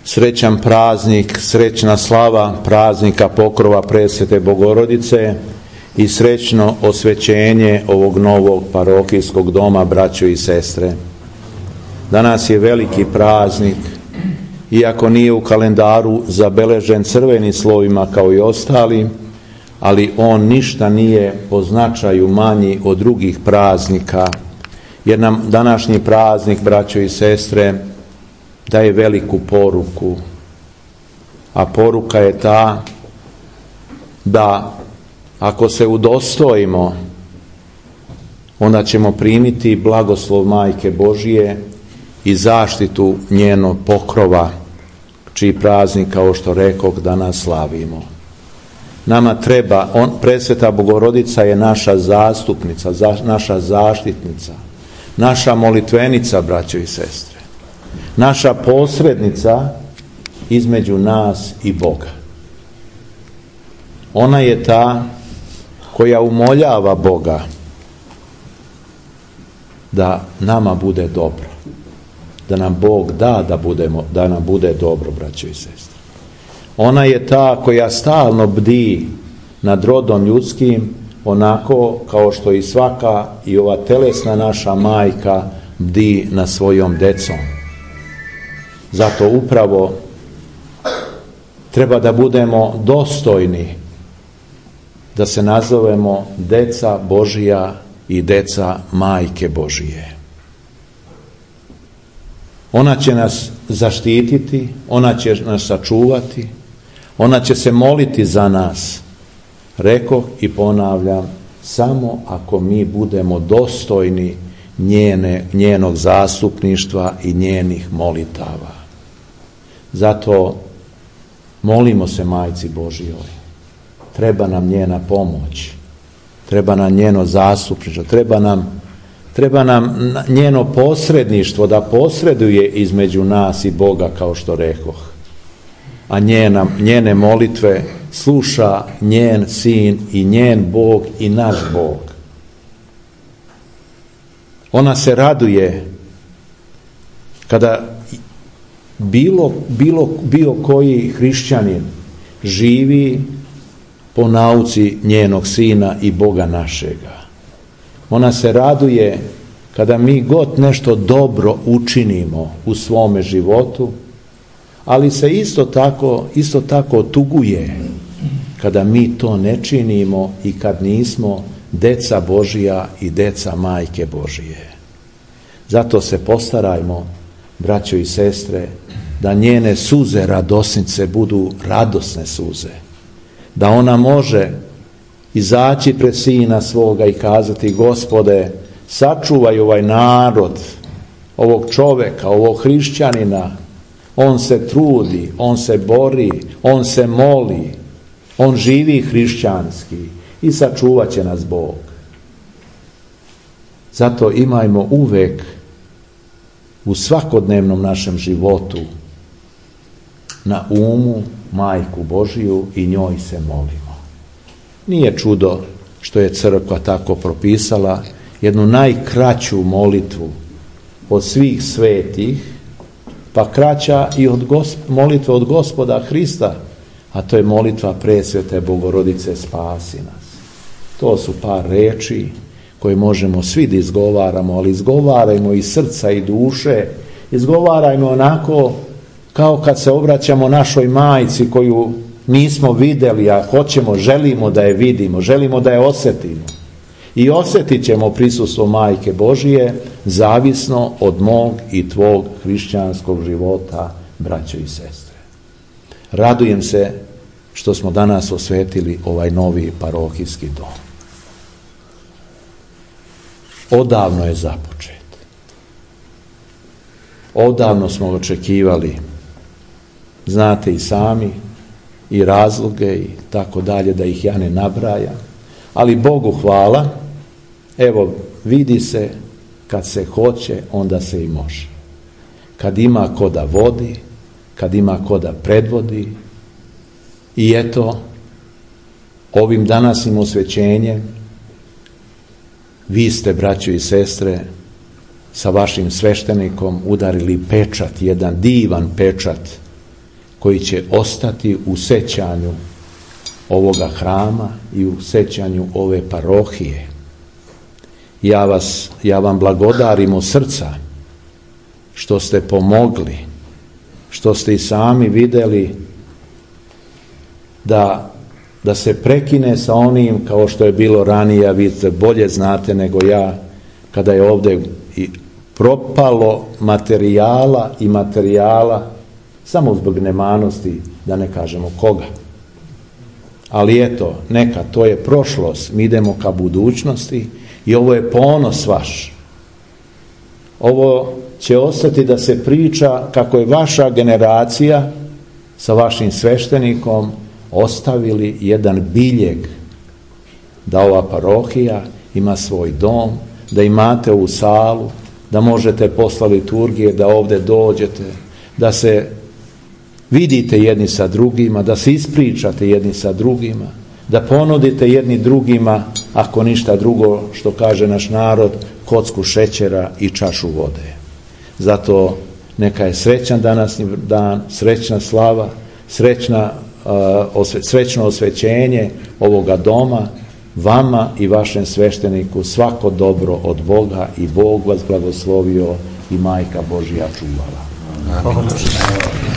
Srećan praznik, srećna slava praznika Pokrova Presvete Bogorodice i srećno osvećenje ovog novog parohijskog doma, braćo i sestre. Danas je veliki praznik, iako nije u kalendaru zabeležen crvenim slovima kao i ostali, ali on ništa nije po značaju manji od drugih praznika, jer nam današnji praznik, braćo i sestre, daje veliku poruku. A poruka je ta da ako se udostojimo, onda ćemo primiti blagoslov Majke Božije i zaštitu njenog pokrova, čiji praznik, kao što rekoh, danas slavimo. Nama treba, Presveta Bogorodica je naša zastupnica, naša zaštitnica, naša molitvenica, braćo i sestre, naša posrednica između nas i Boga. Ona je ta koja umoljava Boga da nama bude dobro, da nam Bog da da nam bude dobro, braćo i sestre. Ona je ta koja stalno bdi nad rodom ljudskim, onako kao što i svaka i ova telesna naša majka bdi nad svojom decom. Zato upravo treba da budemo dostojni da se nazovemo deca Božija i deca Majke Božije. Ona će nas zaštititi, ona će nas sačuvati, ona će se moliti za nas. Rekoh i ponavljam, samo ako mi budemo dostojni njenog zastupništva i njenih molitava. Zato molimo se Majci Božjoj. Treba nam njena pomoć, treba nam njeno zastupništvo, treba nam njeno posredništvo da posreduje između nas i Boga, kao što rekoh. A njene molitve sluša njen sin i njen Bog i naš Bog. Ona se raduje kada bilo koji hrišćanin živi po nauci njenog sina i Boga našega. Ona se raduje kada mi god nešto dobro učinimo u svome životu, ali se isto tako tuguje kada mi to ne činimo i kad nismo deca Božija i deca Majke Božije. Zato se postarajmo, braćo i sestre, da njene suze radosnice budu radosne suze, da ona može izaći pred sina svoga i kazati: Gospode, sačuvaj ovaj narod, ovog čoveka, ovog hrišćanina, on se trudi, on se bori, on se moli, on živi hrišćanski i sačuvat će nas Bog. Zato imajmo uvek u svakodnevnom našem životu na umu Majku Božiju i njoj se molimo. Nije čudo što je crkva tako propisala jednu najkraću molitvu od svih svetih, pa kraća i od molitve od Gospoda Hrista, a to je molitva Presvete Bogorodice spasi nas. To su par reči koje možemo svi da izgovaramo, ali izgovarajmo iz srca i duše, izgovarajmo onako kao kad se obraćamo našoj majci koju nismo vidjeli, a želimo da je vidimo, želimo da je osjetimo. I osjetit ćemo prisustvo Majke Božije zavisno od mog i tvog hrišćanskog života, braćo i sestre. Radujem se što smo danas osvetili ovaj novi parohijski dom. Odavno je započet. Odavno smo očekivali, znate i sami, i razloge i tako dalje, da ih ja ne nabrajam, ali Bogu hvala, evo vidi se, kad se hoće, onda se i može. Kad ima ko da vodi, kad ima ko da predvodi. I eto, ovim današnjim osvećenjem vi ste, braćo i sestre, sa vašim sveštenikom udarili pečat, jedan divan pečat koji će ostati u sećanju ovoga hrama i u sećanju ove parohije. Ja vam blagodarim od srca što ste pomogli, što ste i sami vidjeli da se prekine sa onim kao što je bilo ranije, a vi bolje znate nego ja, kada je ovdje propalo materijala samo zbog nemanosti, da ne kažemo koga. Ali eto, neka, to je prošlost, mi idemo ka budućnosti i ovo je ponos vaš. Ovo će ostati da se priča kako je vaša generacija sa vašim sveštenikom ostavili jedan biljeg da ova parohija ima svoj dom, da imate ovu salu, da možete posle liturgije da ovdje dođete, da se vidite jedni sa drugima, da se ispričate jedni sa drugima, da ponudite jedni drugima, ako ništa drugo, što kaže naš narod, kocku šećera i čašu vode. Zato neka je srećan današnji dan, srećna slava, srećno osvećenje ovoga doma, vama i vašem svešteniku svako dobro od Boga i Bog vas blagoslovio i Majka Božja čuvala. Amin.